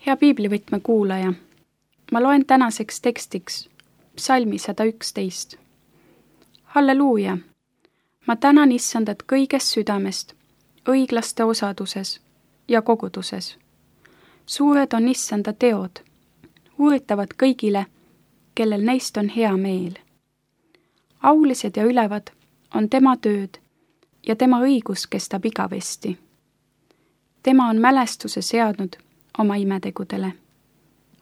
Hea piiblivõtme kuulaja, ma loen tänaseks tekstiks psalmi 111. Halleluuja! Ma tänan Issandat kõigest südamest, õiglaste osaduses ja koguduses. Suured on Issanda teod, uuritavad kõigile, kellel neist on hea meel. Aulised ja ülevad on tema tööd ja tema õigus kestab igavesti. Tema on mälestuse seadnud oma imetegudele.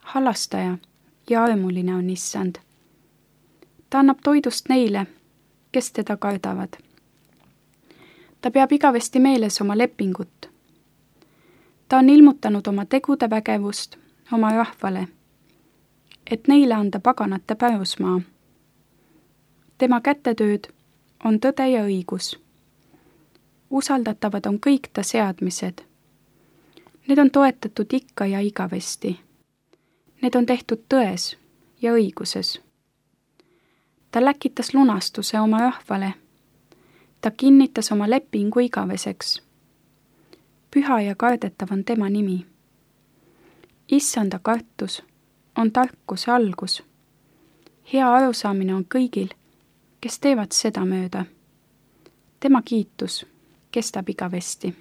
Halastaja ja armuline on Issand. Ta annab toidust neile, kes teda kardavad. Ta peab igavesti meeles oma lepingut. Ta on ilmutanud oma tegude vägevust oma rahvale, et neile anda paganate pärusmaa. Tema kätetööd on tõde ja õigus. Usaldatavad on kõik ta seadmised. Need on toetatud ikka ja igavesti. Need on tehtud tões ja õiguses. Ta läkitas lunastuse oma rahvale. Ta kinnitas oma lepingu igaveseks. Püha ja kardetav on tema nimi. Issanda kartus on tarkuse algus. Hea arusaamine on kõigil, kes teevad seda mööda. Tema kiitus kestab igavesti.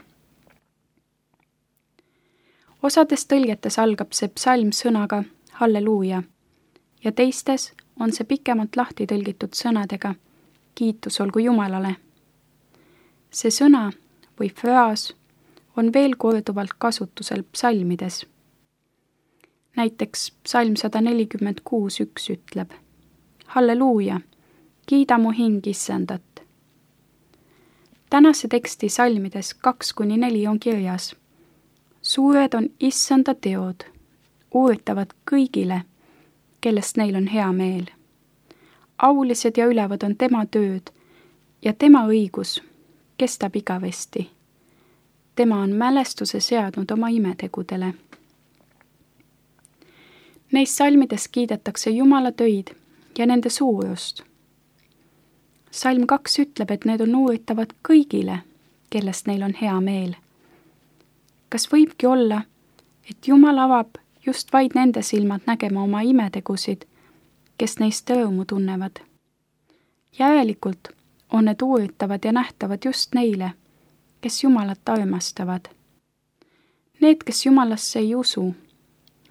Osades tõlgetes algab see psalm sõnaga halleluuja ja teistes on see pikemalt lahti tõlgitud sõnadega kiitus olgu Jumalale. See sõna või fraas on veel korduvalt kasutusel psalmides. Näiteks psalm 146:1 ütleb: Halleluuja, kiida mu hing Issandat. Tänase teksti salmides 2-4 on kirjas: Suured on Issanda teod, uuritavad kõigile, kellest neil on hea meel. Aulised ja ülevad on tema tööd ja tema õigus kestab igavesti. Tema on mälestuse seadnud oma imetegudele. Neis salmides kiidetakse Jumala töid ja nende suurust. Salm 2 ütleb, et need on uuritavad kõigile, kellest neil on hea meel. Kas võibki olla, et Jumal avab just vaid nende silmad nägema oma imetegusid, kes neist rõõmu tunnevad? Järelikult on need uuritavad ja nähtavad just neile, kes Jumalat armastavad. Need, kes Jumalasse ei usu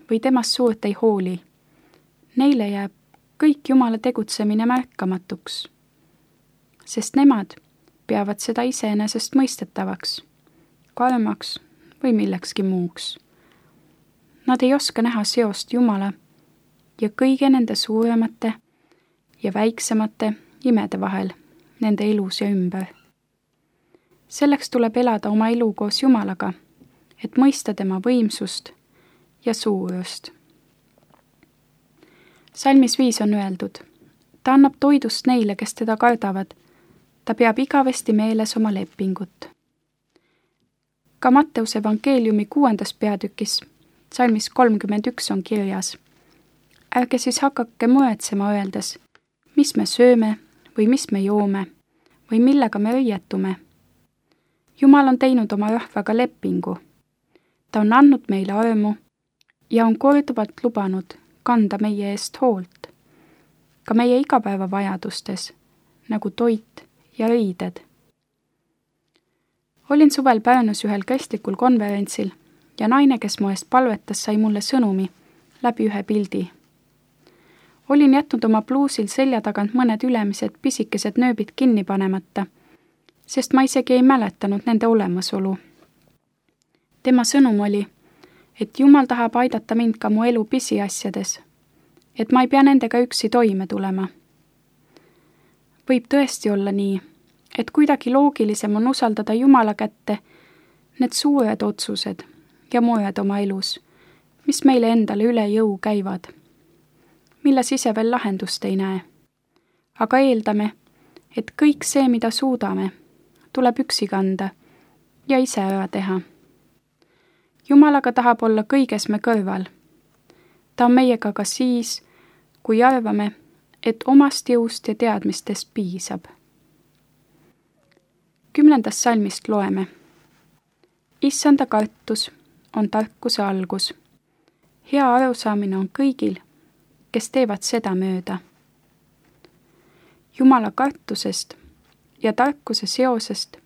või temast suurt ei hooli, neile jääb kõik Jumala tegutsemine märkamatuks, sest nemad peavad seda iseenesest mõistetavaks, karmaks või millekski muuks. Nad ei oska näha seost Jumala ja kõige nende suuremate ja väiksemate imede vahel nende elus ja ümber. Selleks tuleb elada oma elu koos Jumalaga, et mõista tema võimsust ja suurust. Salmis 5 on öeldud: Ta annab toidust neile, kes teda kardavad. Ta peab igavesti meeles oma lepingut. Ka Matteuse evangeeliumi 6. peatükis, salmis 31 on kirjas: Ärge siis hakake muretsema öeldes, mis me sööme või mis me joome või millega me õietume. Jumal on teinud oma rahvaga lepingu. Ta on andnud meile armu ja on korduvalt lubanud kanda meie eest hoolt, ka meie igapäevavajadustes, nagu toit ja riided. Olin suvel Pärnus ühel kristlikul konverentsil ja naine, kes mu eest palvetas, sai mulle sõnumi läbi ühe pildi. Olin jätnud oma pluusil selja tagant mõned ülemised pisikesed nööbid kinni panemata, sest ma isegi ei mäletanud nende olemasolu. Tema sõnum oli, et Jumal tahab aidata mind ka mu elu pisiasjades, et ma ei pea nendega üksi toime tulema. Võib tõesti olla nii, et kuidagi loogilisem on usaldada Jumala kätte need suured otsused ja mured oma elus, mis meile endale üle jõu käivad, milles ise veel lahendust ei näe. Aga eeldame, et kõik see, mida suudame, tuleb üksi kanda ja ise ära teha. Jumalaga tahab olla kõiges me kõrval. Ta on meiega ka siis, kui arvame, et omast jõust ja teadmistest piisab. 10. salmist loeme: Issanda kartus on tarkuse algus. hea arusaamine on kõigil, kes teevad seda mööda. Jumala kartusest ja tarkuse seosest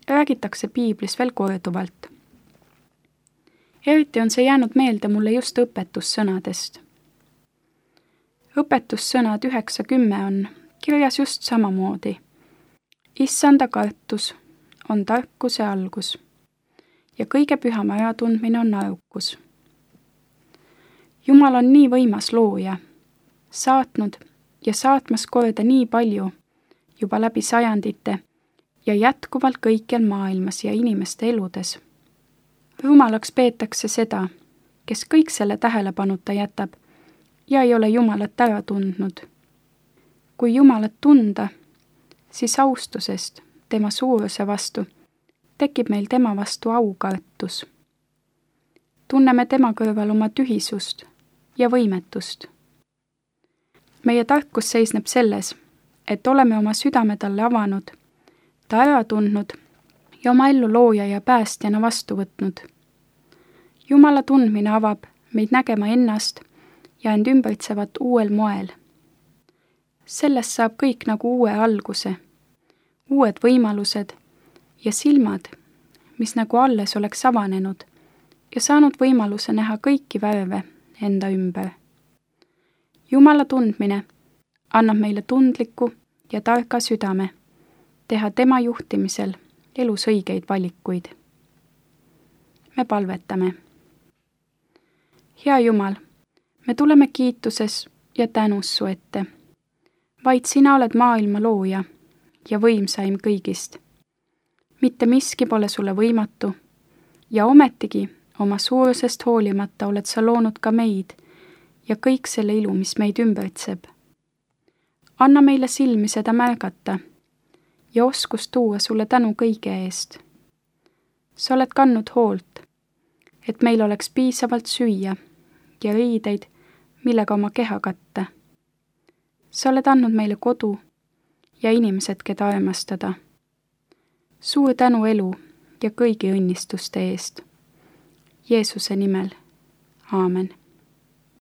räägitakse piiblis veel korduvalt. Eriti on see jäänud meelde mulle just õpetussõnadest. Õpetussõnad 9-10 on kirjas just samamoodi. Issanda kartus on tarkuse algus ja kõige pühama äratundmine on arukus. Jumal on nii võimas looja, saatnud ja saatmas korda nii palju juba läbi sajandite ja jätkuvalt kõikjal maailmas ja inimeste eludes. Rumalaks peetakse seda, kes kõik selle tähelepanuta jätab ja ei ole Jumalat ära tundnud. Kui Jumalat tunda, siis austusest tema suuruse vastu tekib meil tema vastu aukartus. Tunneme tema kõrval oma tühisust ja võimetust. Meie tarkus seisneb selles, et oleme oma südame talle avanud, ta ära tundnud ja oma ellu looja ja päästjana vastu võtnud. Jumala tundmine avab meid nägema ennast ja end ümbritsevat uuel moel. Sellest saab kõik nagu uue alguse, uued võimalused ja silmad, mis nagu alles oleks avanenud ja saanud võimaluse näha kõiki värve enda ümber. Jumala tundmine annab meile tundliku ja targa südame, teha tema juhtimisel elus õigeid valikuid. Me palvetame. Hea Jumal, me tuleme kiituses ja tänus su ette. Vaid sina oled maailma looja ja võimsaim kõigist. Mitte miski pole sulle võimatu ja ometigi oma suurusest hoolimata oled sa loonud ka meid ja kõik selle ilu, mis meid ümbritseb. Anna meile silmi seda märgata ja oskus tuua sulle tänu kõige eest. Sa oled kandnud hoolt, et meil oleks piisavalt süüa ja riideid, millega oma keha katta. Sa oled andnud meile kodu ja inimesed, keda armastada. Suur tänu elu ja kõigi õnnistuste eest. Jeesuse nimel. Aamen.